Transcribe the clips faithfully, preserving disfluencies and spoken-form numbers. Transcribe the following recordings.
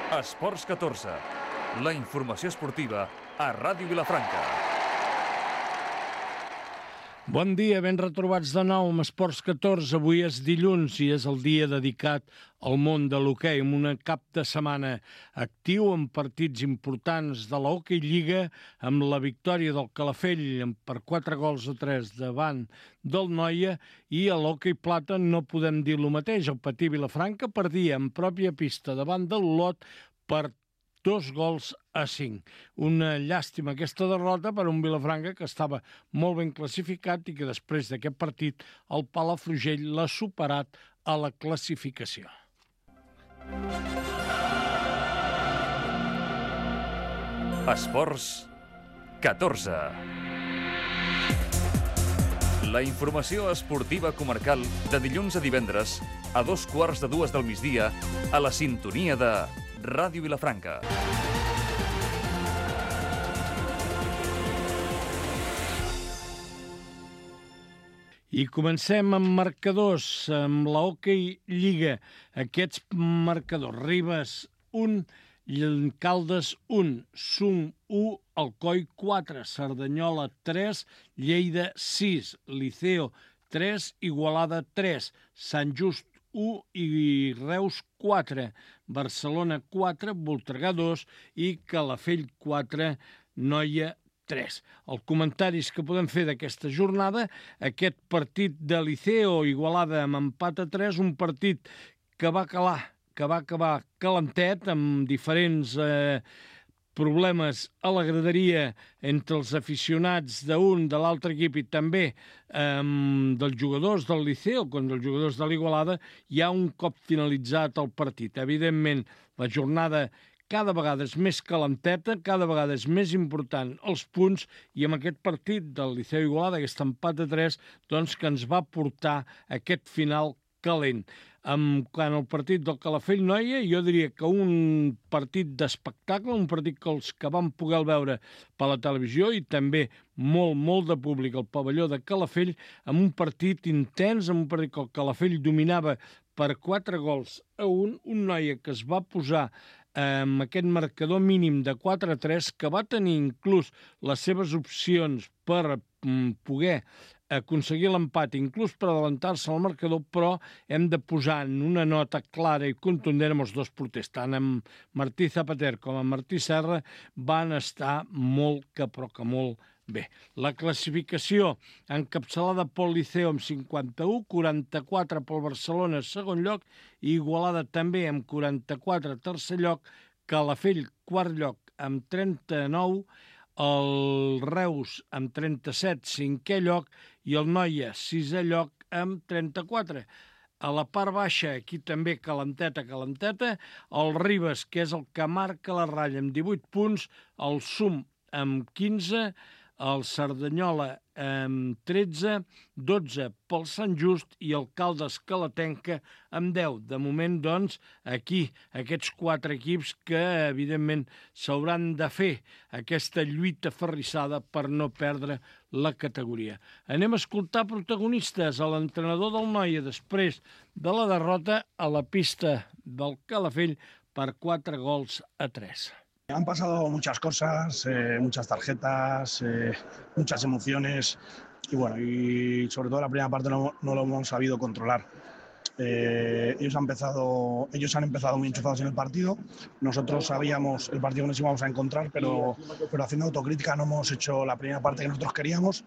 Esports catorze, la informació esportiva a Ràdio Vilafranca. Bon dia, ben retrobats de nou amb Esports catorze. Avui és dilluns i és el dia dedicat al món de l'hoquei, amb una cap de setmana actiu amb partits importants de l'Hockey Lliga, amb la victòria del Calafell per quatre gols a tres davant del Noia, i a l'Hockey Plata no podem dir el mateix. El Patí Vilafranca perdia en pròpia pista davant del Olot per dos gols a cinc. Una llàstima aquesta derrota per un Vilafranca que estava molt ben classificat i que després d'aquest partit el Palafrugell l'ha superat a la classificació. Esports catorze. La informació esportiva comarcal de dilluns a divendres a dos quarts de dues del migdia a la sintonia de Ràdio Vilafranca. I comencem amb marcadors, amb la Hockey Lliga. Aquests marcadors: Ribes un, Caldes un, Sum u, Alcoi quatre, Cerdanyola tres, Lleida sis, Liceo tres, Igualada tres, Sant Just u i Reus quatre, Barcelona quatre, Voltregà dos i Calafell quatre, Noia tres. Els comentaris que podem fer d'aquesta jornada: aquest partit de Liceo Igualada amb empat a tres, un partit que va calar, que va acabar calentet, amb diferents eh, problemes a la graderia entre els aficionats d'un, de l'altre equip i també eh, dels jugadors del Liceo contra els jugadors de l'Igualada, ja un cop finalitzat el partit. Evidentment, la jornada cada vegada és més calenteta, cada vegada és més important els punts, i amb aquest partit del Liceo Igualada, aquest empat a tres, doncs que ens va portar aquest final calent. En quant al partit del Calafell Noia, jo diria que un partit d'espectacle, un partit que els que van poder veure per la televisió i també molt, molt de públic al pavelló de Calafell, amb un partit intens, amb un partit que el Calafell dominava per quatre gols a un, un Noia que es va posar amb aquest marcador mínim de quatre a tres, que va tenir inclús les seves opcions per poder aconseguir l'empat, inclús per adelantar-se al marcador, però hem de posar en una nota clara i contundent amb els dos porters. Tant amb Martí Zapater com amb Martí Serra van estar molt, que però que molt bé. La classificació encapçalada pel Liceo amb cinquanta-u, quaranta-quatre pel Barcelona, segon lloc, i Igualada també amb quaranta-quatre, tercer lloc, Calafell, quart lloc, amb trenta-nou, el Reus amb trenta-set, cinquè lloc, i el Noia, sisè lloc, amb trenta-quatre. A la part baixa, aquí també calenteta, calenteta, el Ribes, que és el que marca la ratlla, amb divuit punts, el Sum amb quinze, el Cerdanyola amb tretze, dotze pel Sant Just i el Caldes Calatenca amb deu. De moment, doncs, aquí, aquests quatre equips que, evidentment, s'hauran de fer aquesta lluita ferrissada per no perdre la categoria. Anem a escoltar protagonistes, a l'entrenador del Noia després de la derrota a la pista del Calafell per quatre gols a tres. Han pasado muchas cosas, eh, muchas tarjetas, eh, muchas emociones y bueno, y sobre todo la primera parte no, no lo hemos sabido controlar. Eh, ellos, han empezado, ellos han empezado muy enchufados en el partido, nosotros sabíamos el partido que nos íbamos a encontrar, pero, pero haciendo autocrítica no hemos hecho la primera parte que nosotros queríamos.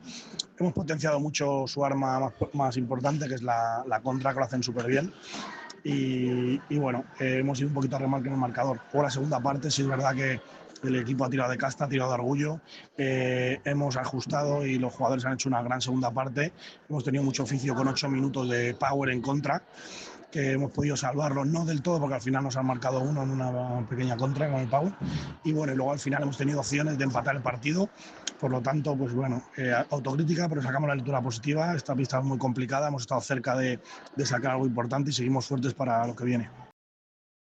Hemos potenciado mucho su arma más, más importante, que es la, la contra, que lo hacen súper bien. Y, y bueno, eh, hemos ido un poquito a remolque en el marcador. Por la segunda parte sí es verdad que el equipo ha tirado de casta, ha tirado de orgullo, eh, hemos ajustado y los jugadores han hecho una gran segunda parte. Hemos tenido mucho oficio con ocho minutos de power en contra, que hemos podido salvarlo, no del todo, porque al final nos han marcado uno en una pequeña contra con el power. Y bueno, y luego al final hemos tenido opciones de empatar el partido. Por lo tanto, pues bueno, eh, autocrítica, pero sacamos la lectura positiva. Esta pista es muy complicada, hemos estado cerca de, de sacar algo importante y seguimos fuertes para lo que viene.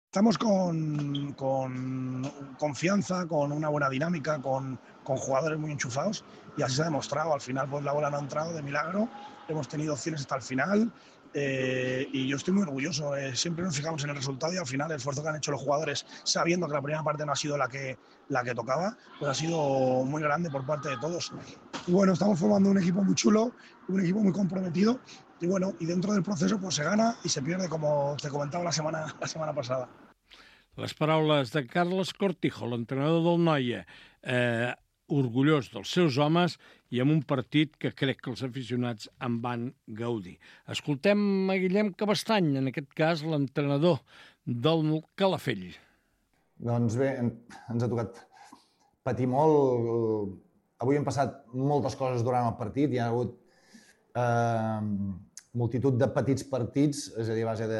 Estamos con, con confianza, con una buena dinámica, con, con jugadores muy enchufados, y así se ha demostrado. Al final, pues la bola no ha entrado de milagro, hemos tenido opciones hasta el final. Eh, y yo estoy muy orgulloso. Eh, siempre nos fijamos en el resultado y al final el esfuerzo que han hecho los jugadores, sabiendo que la primera parte no ha sido la que, la que tocaba, pues ha sido muy grande por parte de todos. Y bueno, estamos formando un equipo muy chulo, un equipo muy comprometido. Y bueno, y dentro del proceso pues se gana y se pierde, como te comentaba la semana, la semana pasada. Les paraules de Carles Cortijo, l'entrenador del Noia, eh, orgullós dels seus homes i amb un partit que crec que els aficionats en van gaudir. Escoltem a Guillem Cabestany, en aquest cas l'entrenador del Calafell. Doncs bé, ens ha tocat patir molt. Avui han passat moltes coses durant el partit. Hi ha hagut eh, multitud de petits partits, és a dir, a base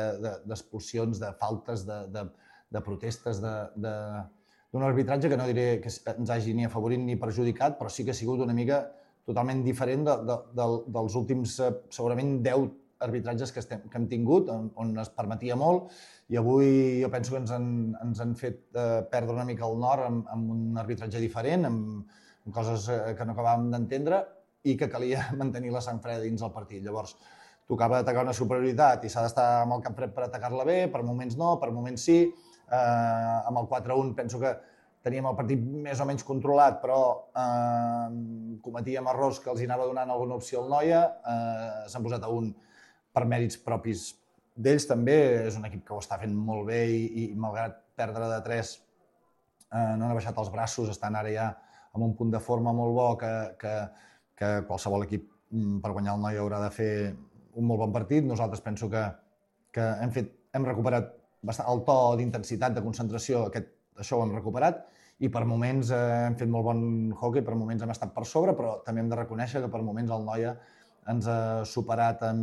d'expulsions, de, de, de faltes, de, de, de protestes, d'un arbitratge que no diré que ens hagi ni afavorit ni perjudicat, però sí que ha sigut una mica totalment diferent de, de, de, dels últims, segurament, deu arbitratges que, estem, que hem tingut, on, on es permetia molt, i avui jo penso que ens han, ens han fet eh, perdre una mica el nord amb, amb un arbitratge diferent, amb, amb coses que no acabàvem d'entendre i que calia mantenir la sang freda dins el partit. Llavors, tocava atacar una superioritat i s'ha d'estar amb el cap fred per atacar-la bé, per moments no, per moments sí. Eh, amb el quatre a un penso que teníem el partit més o menys controlat, però eh, cometíem errors que els hi anava donant alguna opció al Noia. Eh, S'han posat a un per mèrits propis d'ells també. És un equip que ho està fent molt bé i, i malgrat perdre de tres, eh, no han baixat els braços, estan ara ja amb un punt de forma molt bo que, que, que qualsevol equip per guanyar el Noia haurà de fer un molt bon partit. Nosaltres penso que, que hem, fet, hem recuperat bastant el to d'intensitat, de concentració, aquest, això ho hem recuperat, i per moments eh, hem fet molt bon hockey, per moments hem estat per sobre, però també hem de reconèixer que per moments el Noia ens ha superat en,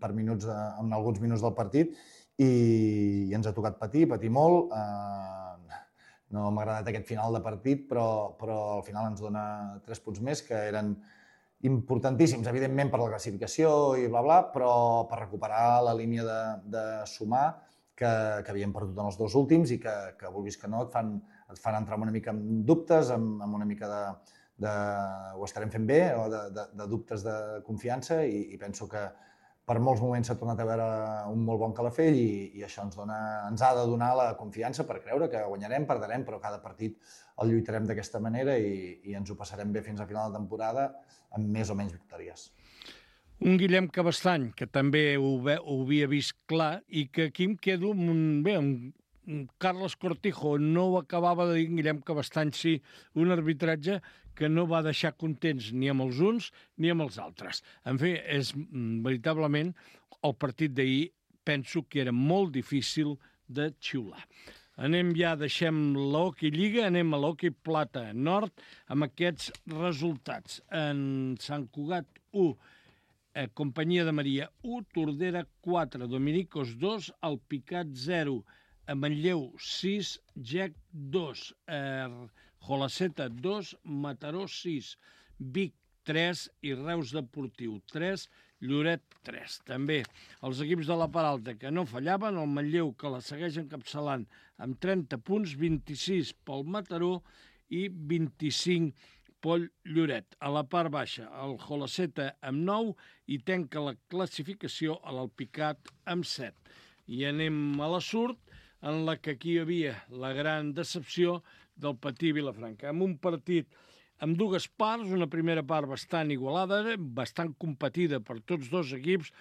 per minuts, en alguns minuts del partit i, i ens ha tocat patir, patir molt. Eh, no m'ha agradat aquest final de partit, però, però al final ens dona tres punts més que eren importantíssims, evidentment, per la classificació i bla, bla, però per recuperar la línia de, de sumar que, que havíem perdut en els dos últims i que, que vulguis que no, et fan, et fan entrar una mica amb dubtes, amb, amb una mica de, de ho estarem fent bé, o de, de, de dubtes de confiança, i, i penso que per molts moments s'ha tornat a veure un molt bon Calafell i, i això ens, dona, ens ha de donar la confiança per creure que guanyarem, perdrem, però cada partit el lluitarem d'aquesta manera i, i ens ho passarem bé fins a final de temporada amb més o menys victòries. Un Guillem Cabestany, que també ho, ve, ho havia vist clar i que aquí em quedo amb un, bé, un Carles Cortijo no ho acabava de dir, Guillem Cabestany sí, un arbitratge que no va deixar contents ni amb els uns ni amb els altres. En fi, és veritablement el partit d'ahir, penso que era molt difícil de xiular. Anem ja, deixem l'Hockey Lliga, anem a l'Hockey Plata Nord amb aquests resultats. En Sant Cugat u, eh, Companyia de Maria u, Tordera quatre, Dominicos dos, Alpicat zero, a Manlleu sis, Gec dos, eh, Jolaceta dos, Mataró sis, Vic tres i Reus Deportiu tres, Lloret tres. També els equips de la part alta que no fallaven, el Manlleu que la segueix encapçalant amb trenta punts, vint-i-sis pel Mataró i vint-i-cinc pel Lloret. A la part baixa, el Jolaceta amb nou i tanca la classificació a l'Alpicat amb set. I anem a la Surt, en la que aquí hi havia la gran decepció del Patí Vilafranca, amb un partit amb dues parts, una primera part bastant igualada, bastant competida per tots dos equips,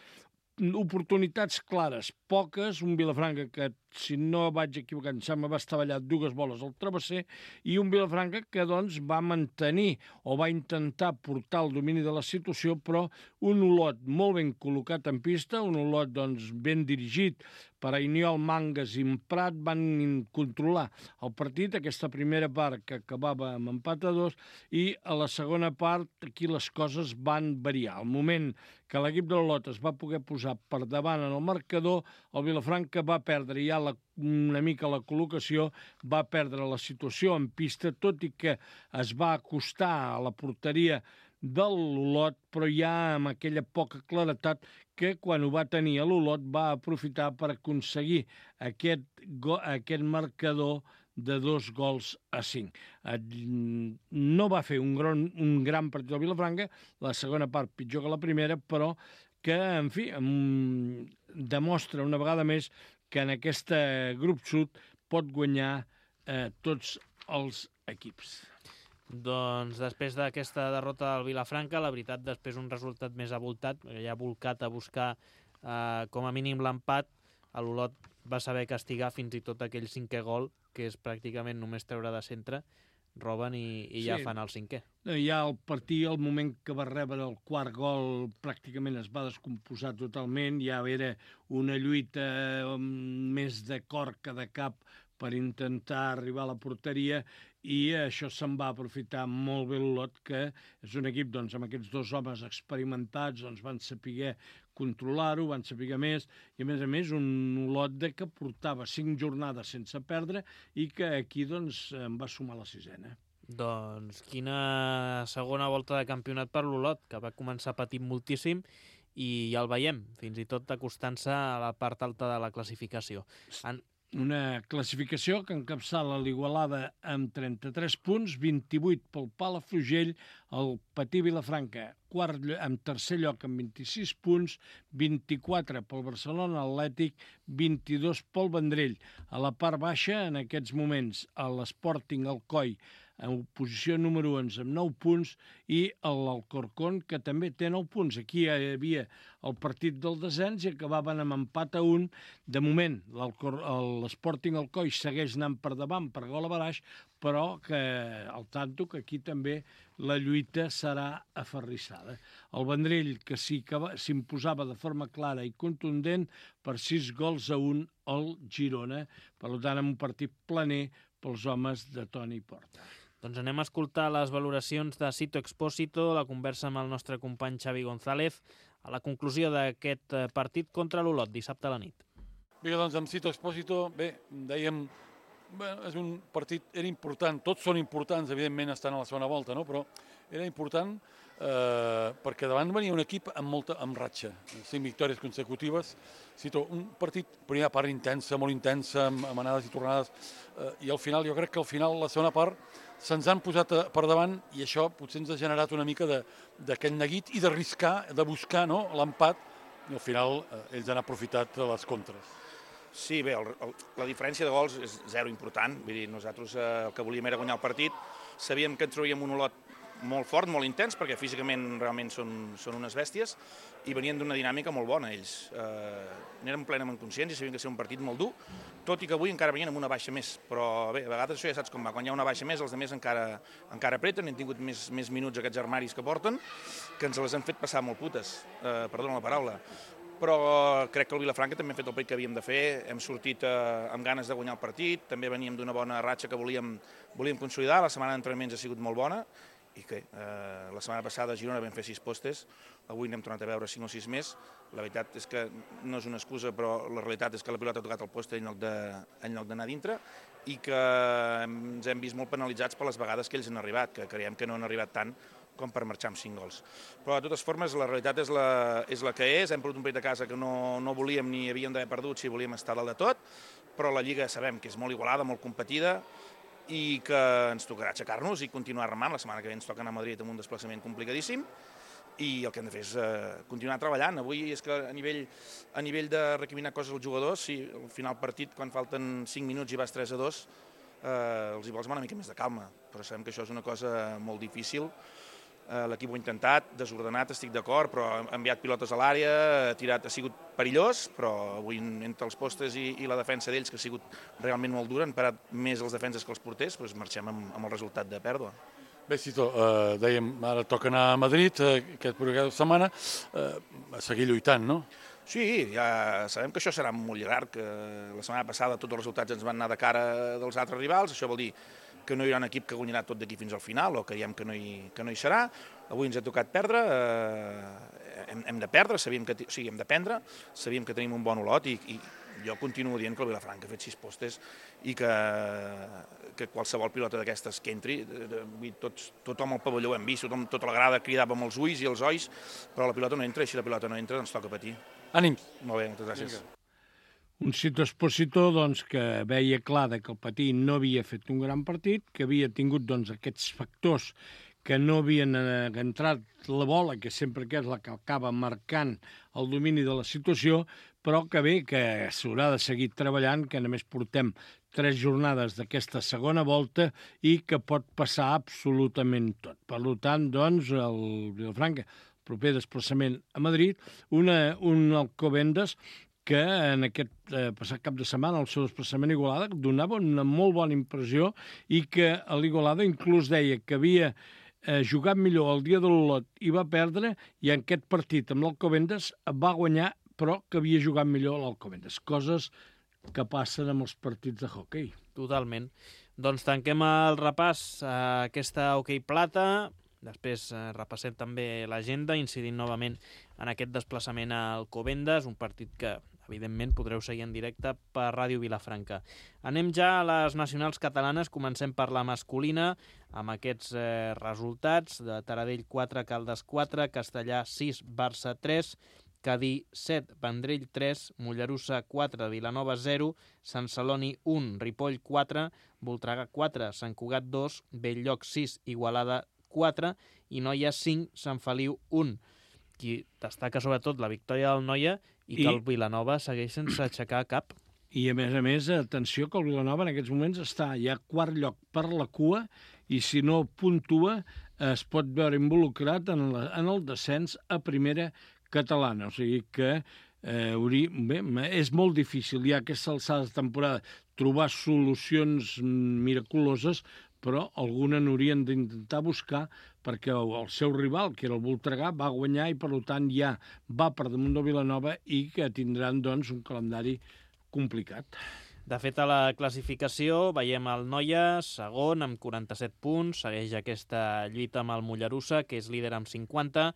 oportunitats clares, poques, un Vilafranca que, si no vaig equivocar, em sembla, va estavellar dues boles al travesser, i un Vilafranca que, doncs, va mantenir o va intentar portar el domini de la situació, però un Olot molt ben col·locat en pista, un Olot, doncs, ben dirigit per Ainiol, Mangas i Prat, van controlar el partit, aquesta primera part que acabava amb empat a dos, i a la segona part aquí les coses van variar. Al moment que l'equip de l'Olot es va poder posar per davant en el marcador, el Vilafranca va perdre ja la, una mica la col·locació, va perdre la situació en pista, tot i que es va acostar a la porteria de l'Olot, però ja amb aquella poca claretat que quan ho va tenir a l'Olot va aprofitar per aconseguir aquest, aquest marcador de dos gols a cinc. No va fer un gran, un gran partit del Vilafranca, la segona part pitjor que la primera, però que, en fi, demostra una vegada més que en aquest grup sud pot guanyar eh, tots els equips. Doncs després d'aquesta derrota del Vilafranca, la veritat, després un resultat més avoltat, ja ha volcat a buscar eh, com a mínim l'empat, l'Olot va saber castigar fins i tot aquell cinquè gol, que és pràcticament només treure de centre, roben i, i ja sí. fan el cinquè. Ja el partit, el moment que va rebre el quart gol, pràcticament es va descomposar totalment, ja era una lluita més de cor que de cap per intentar arribar a la porteria, i això se'n va aprofitar molt bé l'Olot, que és un equip doncs, amb aquests dos homes experimentats, doncs, van saber controlar-ho, van saber més, i a més a més un Olot de que portava cinc jornades sense perdre i que aquí doncs, en va sumar la sisena. Doncs quina segona volta de campionat per l'Olot, que va començar patint moltíssim i ja el veiem, fins i tot acostant-se a la part alta de la classificació. En... Una classificació que encapçala l'Igualada amb trenta-tres punts, vint-i-vuit pel Palafrugell, el Patí Vilafranca, quart, en tercer lloc amb vint-i-sis punts, vint-i-quatre pel Barcelona Atlètic, vint-i-dos pel Vendrell. A la part baixa, en aquests moments, l'Sporting Alcoi, en posició número onze amb nou punts, i l'Alcorcón, que també té nou punts. Aquí hi havia el partit del descens i acabaven amb empat a un. De moment, l'Sporting Alcoi segueix anant per davant per gol a baraix, però que al tanto que aquí també la lluita serà aferrissada. El Vendrell, que sí que s'imposava de forma clara i contundent per sis gols a un al Girona, per tant, en un partit planer pels homes de Toni Porta. Doncs anem a escoltar les valoracions de Sito Expósito, la conversa amb el nostre company Xavi González, a la conclusió d'aquest partit contra l'Olot, dissabte a la nit. Bé, doncs amb Sito Expósito, bé, dèiem, bé, és un partit, era important, tots són importants, evidentment estan a la segona volta, no? Però era important eh, perquè davant venia un equip amb molta amb ratxa, cinc victòries consecutives. Sito, un partit, primera part intensa, molt intensa, amb, amb anades i tornades, eh, i al final, jo crec que al final, la segona part, se'ns han posat per davant i això potser ens ha generat una mica d'aquest neguit i d'arriscar, de buscar no, l'empat, i al final eh, ells han aprofitat les contres. Sí, bé, el, el, la diferència de gols és zero important, vull dir, nosaltres eh, el que volíem era guanyar el partit, sabíem que ens trauríem un Olot molt fort, molt intens, perquè físicament realment són, són unes bèsties, i venien d'una dinàmica molt bona ells. Eh, n'érem plenament conscients i sabien que ser un partit molt dur, tot i que avui encara venien amb una baixa més, però bé, a vegades això ja saps com va, quan hi ha una baixa més els altres encara, encara apreten, han tingut més, més minuts aquests armaris que porten, que ens les han fet passar molt putes, eh, perdona la paraula, però crec que el Vilafranca també ha fet el partit que havíem de fer, hem sortit eh, amb ganes de guanyar el partit, també veníem d'una bona ratxa que volíem, volíem consolidar, la setmana d'entrenaments ha sigut molt bona, i que eh, la setmana passada a Girona vam fer sis postes, avui n'hem tornat a veure cinc o sis més. La veritat és que no és una excusa, però la realitat és que la pilota ha tocat el poste en lloc de, en lloc d'anar dintre i que ens hem vist molt penalitzats per les vegades que ells han arribat, que creiem que no han arribat tant com per marxar amb cinc gols. Però de totes formes la realitat és la, és la que és, hem perdut un partit a casa que no, no volíem ni havíem d'haver perdut si volíem estar dalt de tot, però la Lliga sabem que és molt igualada, molt competida, i que ens tocarà aixecar-nos i continuar remant. La setmana que ve ens toca anar a Madrid amb un desplaçament complicadíssim i el que hem de fer és eh, continuar treballant. Avui és que a nivell, a nivell de recriminar coses als jugadors, si al final partit, quan falten cinc minuts i vas tres a dos, eh, els hi vols una mica més de calma, però sabem que això és una cosa molt difícil. Eh, L'equip ho ha intentat, desordenat, estic d'acord, però ha enviat pilotes a l'àrea, ha tirat, ha sigut perillós, però avui entre els postes i, i la defensa d'ells, que ha sigut realment molt dura, han parat més els defenses que els porters, doncs marxem amb, amb el resultat de pèrdua. Bé, Sito, eh, dèiem, ara toca anar a Madrid, eh, aquest aquesta setmana, eh, a seguir lluitant, no? Sí, ja sabem que això serà molt llarg, que la setmana passada tots els resultats ens van anar de cara dels altres rivals, això vol dir que no hi haurà un equip que guanyarà tot d'aquí fins al final o que creiem que no hi, que no hi serà. Avui ens ha tocat perdre, eh, hem, hem de perdre, sabíem que, o sigui, hem d'aprendre, sabíem que tenim un bon Olot i, i jo continuo dient que el Vilafranca ha fet sis postes i que, que qualsevol pilota d'aquestes que entri, tots, tothom al pavelló ho hem vist, tothom, tota la grada cridava amb els ulls i els olls, però la pilota no entra i si la pilota no entra ens toca patir. Ànims. Molt bé, moltes gràcies. Vinga. Un Sito Expósito doncs, que veia clar que el Patí no havia fet un gran partit, que havia tingut doncs, aquests factors que no havien eh, entrat la bola, que sempre que és la que acaba marcant el domini de la situació, però que bé, que s'haurà de seguir treballant, que només portem tres jornades d'aquesta segona volta i que pot passar absolutament tot. Per tant, doncs, el Vilafranca, el proper desplaçament a Madrid, una, un Alcobendas que en aquest eh, passat cap de setmana, el seu desplaçament a Igualada, donava una molt bona impressió i que a l'Igualada inclús deia que havia eh, jugat millor el dia de l'Olot i va perdre, i en aquest partit amb l'Alcobendas va guanyar, però que havia jugat millor l'Alcobendas. Coses que passen amb els partits de hoquei. Totalment. Doncs tanquem el repàs a aquesta hoquei plata. Després eh, repassem també l'agenda, incidint novament en aquest desplaçament al Alcobendas, un partit que, evidentment, podreu seguir en directe per Ràdio Vilafranca. Anem ja a les nacionals catalanes. Comencem per la masculina, amb aquests eh, resultats de Taradell quatre, Caldes quatre, Castellà sis, Barça tres, Cadí set, Vendrell tres, Mollerussa quatre, Vilanova zero, Sant Celoni un, Ripoll quatre, Voltregà quatre, Sant Cugat dos, Belllloc sis, Igualada quatre i Noia cinc, Sant Feliu un. Qui destaca sobretot la victòria del Noia i que I... el Vilanova segueix sense aixecar cap. I a més a més, atenció que el Vilanova en aquests moments està ja a quart lloc per la cua i si no puntua es pot veure involucrat en, la, en el descens a primera catalana. O sigui que eh, hauria, bé, és molt difícil ja aquesta alçada de temporada trobar solucions miraculoses, però alguna n'haurien d'intentar buscar perquè el seu rival, que era el Voltregà, va guanyar i, per tant, ja va per damunt del Vilanova i que tindran, doncs, un calendari complicat. De fet, a la classificació veiem el Noia, segon, amb quaranta-set punts, segueix aquesta lluita amb el Mollerussa, que és líder amb cinquanta,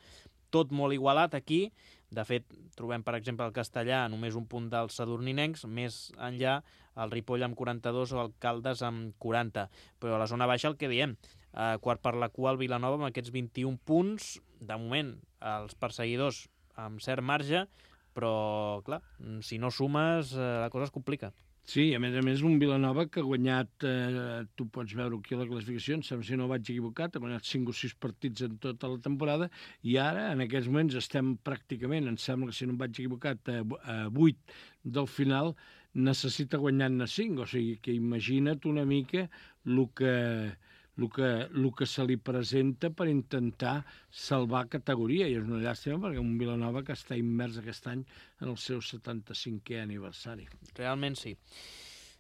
tot molt igualat aquí. De fet, trobem, per exemple, el Castellà només un punt dels sadurninencs, més enllà el Ripoll amb quaranta-dos o el Caldes amb quaranta. Però a la zona baixa el que diem, eh, quart per la cua el Vilanova amb aquests vint-i-un punts, de moment els perseguidors amb cert marge, però, clar, si no sumes, eh, la cosa es complica. Sí, a més a més, un Vilanova que ha guanyat, eh, tu pots veure aquí a la classificació, em sembla si no vaig equivocat, ha guanyat cinc o sis partits en tota la temporada, i ara, en aquests moments, estem pràcticament, em sembla que si no em vaig equivocat, a, a vuit del final, necessita guanyar-ne cinc, o sigui que imagina't una mica el que... El que, el que se li presenta per intentar salvar categoria, i és una llàstima perquè un Vilanova que està immers aquest any en el seu setanta-cinquè aniversari. Realment sí.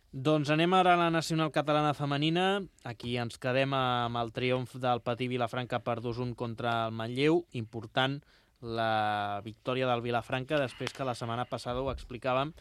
Doncs anem ara a la nacional catalana femenina. Aquí ens quedem amb el triomf del Patí Vilafranca per dos a un contra el Manlleu. Important la victòria del Vilafranca després que la setmana passada ho explicàvem,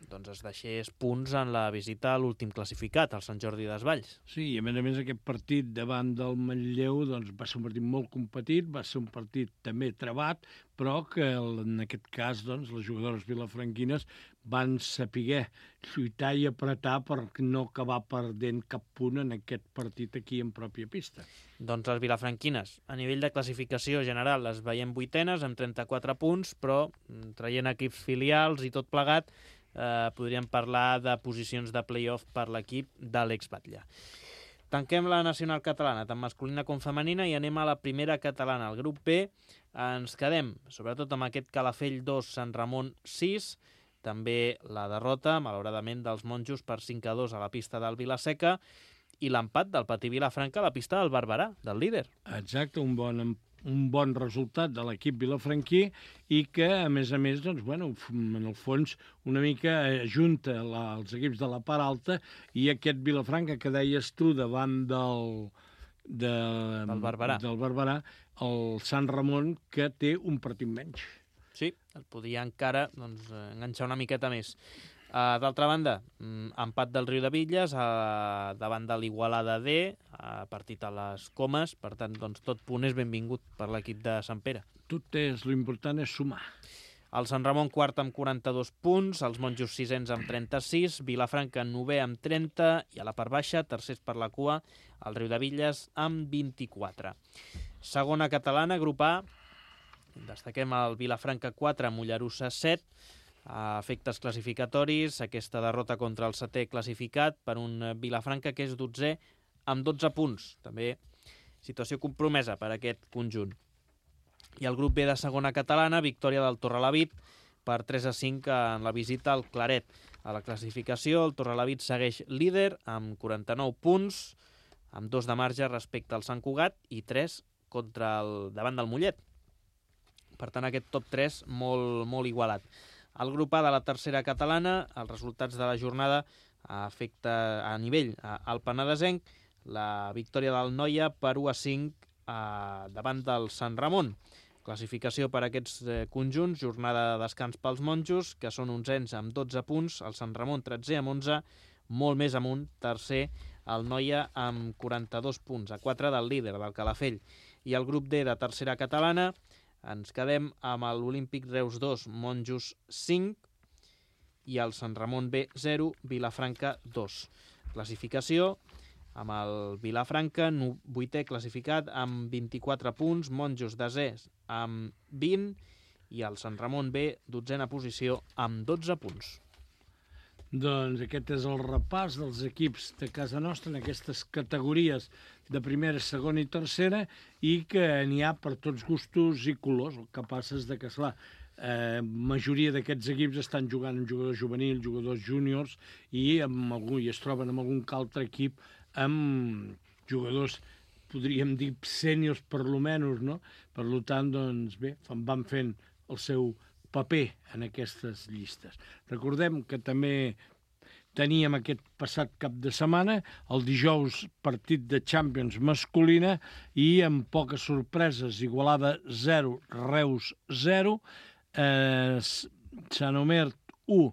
doncs es deixés punts en la visita a l'últim classificat, el Sant Jordi Desvalls. Sí, i a més a més aquest partit davant del Manlleu doncs, va ser un partit molt competit, va ser un partit també trebat, però que en aquest cas doncs, les jugadores vilafranquines van saber lluitar i apretar per no acabar perdent cap punt en aquest partit aquí en pròpia pista. Doncs les vilafranquines, a nivell de classificació general, les veiem vuitenes amb trenta-quatre punts, però traient equips filials i tot plegat, Eh, podríem parlar de posicions de play-off per l'equip de l'ex-Batlle. Tanquem la nacional catalana, tant masculina com femenina, i anem a la primera catalana. Al grup B ens quedem, sobretot amb aquest Calafell dos, Sant Ramon sis, també la derrota, malauradament, dels monjos per cinc a dos a la pista del Vilaseca, i l'empat del Patí Vilafranca a la pista del Barberà, del líder. Exacte, un bon empat. un bon resultat de l'equip vilafranquí i que, a més a més, doncs, bueno, en el fons, una mica ajunta la, els equips de la part alta i aquest Vilafranca que deies tu davant del, de, del Barberà, del Barberà, el Sant Ramon, que té un partit menys. Sí, el podia encara doncs, enganxar una miqueta més. Uh, D'altra banda, um, empat del Riu de Villes uh, davant de l'Igualada D, uh, partit a les Comes, per tant, doncs, tot punt és benvingut per l'equip de Sant Pere. Tot és, l'important és sumar. El Sant Ramon quart amb quaranta-dos punts, els monjos sisens amb trenta-sis, Vilafranca novè amb trenta i a la part baixa, tercers per la cua, el Riu de Villes amb vint-i-quatre. Segona catalana, grup A, destaquem el Vilafranca quatre, Mollerussa set, a efectes classificatoris, aquesta derrota contra el setè classificat per un Vilafranca que és dotzè amb dotze punts. També situació compromesa per a aquest conjunt. I el grup B de segona catalana, victòria del Torrelavit per tres a cinc en la visita al Claret. A la classificació, el Torrelavit segueix líder amb quaranta-nou punts, amb dos de marge respecte al Sant Cugat i tres contra el davant del Mollet. Per tant, aquest top tres molt, molt igualat. El grup A de la tercera catalana, els resultats de la jornada afecta a nivell al Penedesenc, la victòria del Noia per u a cinc eh, davant del Sant Ramon. Classificació per a aquests eh, conjunts, jornada de descans pels monjos, que són onzens amb dotze punts, el Sant Ramon tretzer amb onze, molt més amunt, tercer, el Noia amb quaranta-dos punts, a quatre del líder, del Calafell. I el grup D de tercera catalana, ens quedem amb l'Olímpic Reus dos, Monjos cinc, i el Sant Ramon B zero, Vilafranca dos. Classificació, amb el Vilafranca, vuitè classificat amb vint-i-quatre punts, Monjos desè amb vint, i el Sant Ramon B, dotzena posició, amb dotze punts. Doncs aquest és el repàs dels equips de casa nostra en aquestes categories de primera, segona i tercera, i que n'hi ha per tots gustos i colors. El que passa és que, esclar, eh, majoria d'aquests equips estan jugant amb jugadors juvenils, jugadors júniors, i, amb algun, i es troben amb algun altre equip amb jugadors, podríem dir, sèniors per lo menys, no? Per tant, doncs bé, van fent el seu paper en aquestes llistes. Recordem que també teníem aquest passat cap de setmana, el dijous, partit de Champions masculina, i amb poques sorpreses, Igualada zero, Reus zero, eh, Sant Omer u,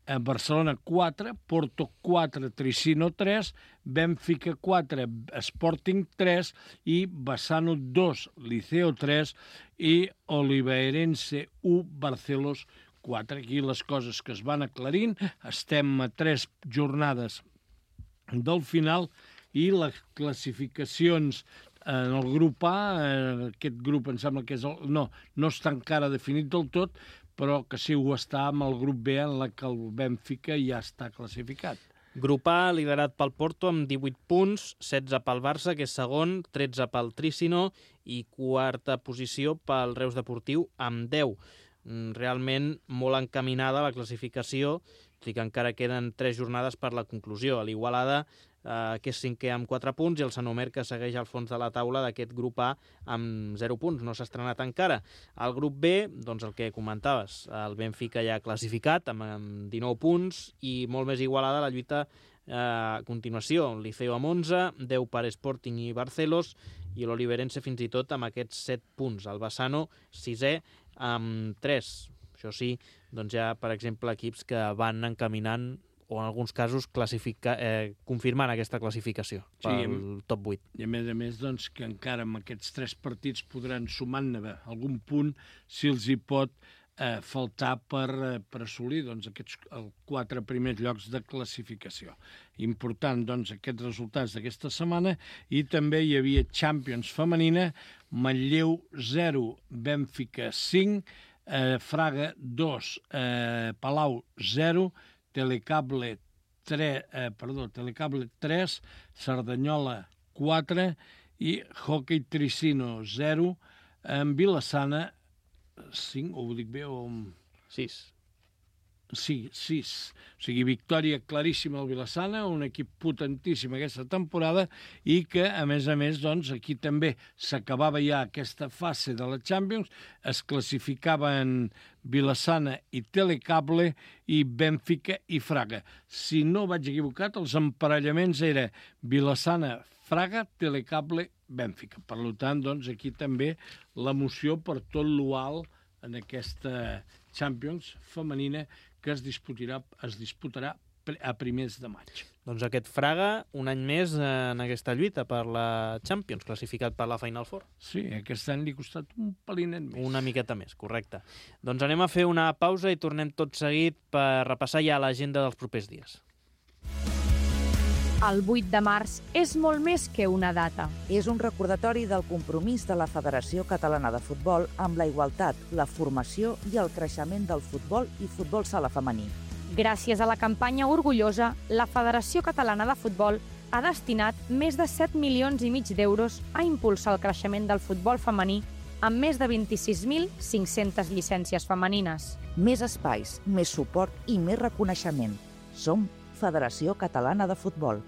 Barcelona quatre, Porto quatre, Tricino tres, Benfica quatre, Sporting tres, i Bassano dos, Liceo tres, i Oliveirense u, Barcelos quatre. Aquí les coses que es van aclarint. Estem a tres jornades del final, i les classificacions en el grup A, aquest grup em sembla que és el, no, no està encara definit del tot, però que sí ho està amb el grup B, en la que el Benfica ja està classificat. Grup A, liderat pel Porto amb divuit punts, setze pel Barça, que és segon, tretze pel Tricino, i quarta posició pel Reus Deportiu amb deu. Realment molt encaminada la classificació, tot i que encara queden tres jornades per la conclusió. A l'Igualada, eh, que és cinquè amb quatre punts, i el Sant Omer, que segueix al fons de la taula d'aquest grup A amb zero punts, no s'ha estrenat encara. Al grup B, doncs el que comentaves, el Benfica ja classificat amb dinou punts, i molt més igualada la lluita eh, a continuació. El Liceo amb onze, deu per Sporting i Barcelos, i l'Oliveirense fins i tot amb aquests set punts. El Bassano, sisè, amb tres. Això sí, doncs hi ha, per exemple, equips que van encaminant, o en alguns casos classifica, eh, confirmant aquesta classificació pel sí, top vuit. I a més a més, doncs, que encara amb aquests tres partits podran sumar-ne algun punt si els hi pot eh, faltar per, eh, per assolir doncs, aquests els quatre primers llocs de classificació. Important, doncs, aquests resultats d'aquesta setmana, i també hi havia Champions femenina, Manlleu zero, Benfica cinc, eh, Fraga dos, eh, Palau zero, Telecable tres, eh, perdó, Telecable tres, Cerdanyola quatre, i Hockey Tricino zero, en Vilassana cinc, o ho dic bé, o... sis. Sí, sis. O sigui, victòria claríssima al Vilassana, un equip potentíssim aquesta temporada, i que, a més a més, doncs, aquí també s'acabava ja aquesta fase de la Champions, es classificaven Vilassana i Telecable, i Benfica i Fraga. Si no vaig equivocat, els emparellaments era Vilassana, Fraga, Telecable, Benfica. Per tant, doncs, aquí també l'emoció per tot l'ual en aquesta Champions femenina, que es disputarà, es disputarà a primers de maig. Doncs aquest Fraga, un any més en aquesta lluita per la Champions, classificat per la Final Four. Sí, aquest any li ha costat un pelinet més. Una miqueta més, correcte. Doncs anem a fer una pausa i tornem tot seguit per repassar ja l'agenda dels propers dies. El vuit de març és molt més que una data. És un recordatori del compromís de la Federació Catalana de Futbol amb la igualtat, la formació i el creixement del futbol i futbol sala femení. Gràcies a la campanya Orgullosa, la Federació Catalana de Futbol ha destinat més de set milions i mig d'euros a impulsar el creixement del futbol femení amb més de vint-i-sis mil cinc-centes llicències femenines. Més espais, més suport i més reconeixement. Som Federació Catalana de Futbol.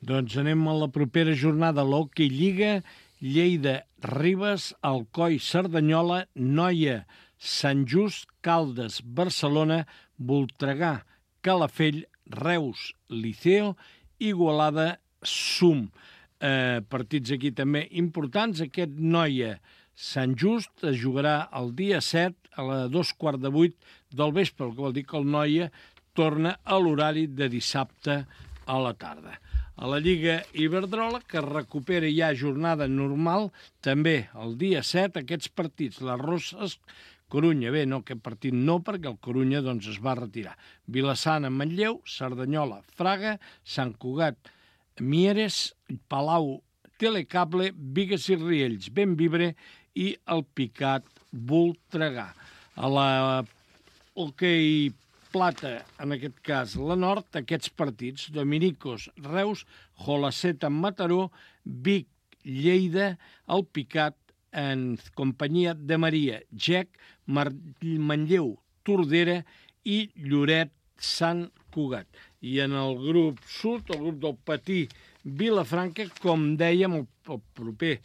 Doncs anem a la propera jornada. L'Hockey Lliga, Lleida, Ribes, Alcoi, Cerdanyola, Noia, Sant Just, Caldes, Barcelona, Voltregà, Calafell, Reus, Liceo, Igualada, Sum. Eh, partits aquí també importants. Aquest Noia, Sant Just es jugarà el dia set a la dos quarts de vuit del vespre, el que vol dir que el Noia torna a l'horari de dissabte a la tarda. A la Lliga Iberdrola, que recupera ja jornada normal, també el dia set, aquests partits, les Roses, Corunya, bé, no, aquest partit no, perquè el Corunya doncs, es va retirar. Vilassana, Manlleu, Cerdanyola, Fraga, Sant Cugat, Mieres, Palau, Telecable, Bigues i Riells, Benvibre i el Picat, Voltregà. A la Hockey Plata, en aquest cas la Nord, aquests partits, Dominicos, Reus, Jolaceta, Mataró, Vic, Lleida, el Picat, en companyia de Maria, Gec, Manlleu, Tordera i Lloret, Sant Cugat. I en el grup sud, el grup del Patí Vilafranca, com dèiem, el, el proper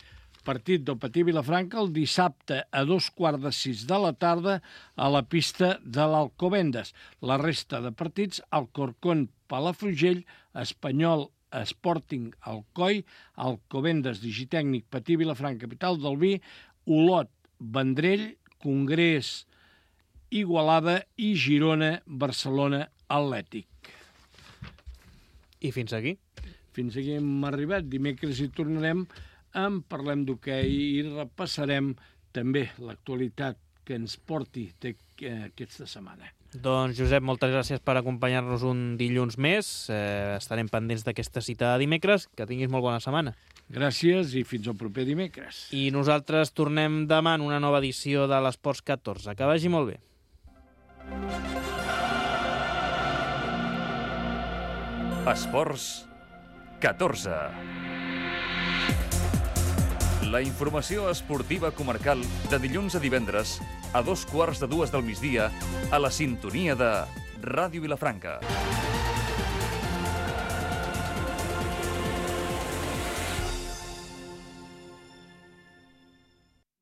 partit del Patí Vilafranca el dissabte a dos quarts de sis de la tarda a la pista de l'Alcobendas. La resta de partits, Alcorcón, Palafrugell, Espanyol, Sporting, Alcoi, Alcobendas, Digitècnic, Patí Vilafranca, Capital del Vi, Olot, Vendrell, Congrés, Igualada i Girona, Barcelona, Atlètic. I fins aquí? Fins aquí hem arribat. Dimecres hi tornarem, en parlem d'hoquei i repassarem també l'actualitat que ens porti aquesta setmana. Doncs, Josep, moltes gràcies per acompanyar-nos un dilluns més. Eh, estarem pendents d'aquesta cita de dimecres. Que tinguis molt bona setmana. Gràcies i fins al proper dimecres. I nosaltres tornem demà en una nova edició de l'Esports catorze. Que vagi molt bé. Esports catorze. La informació esportiva comarcal de dilluns a divendres a dos quarts de dues del migdia a la sintonia de Ràdio Vilafranca.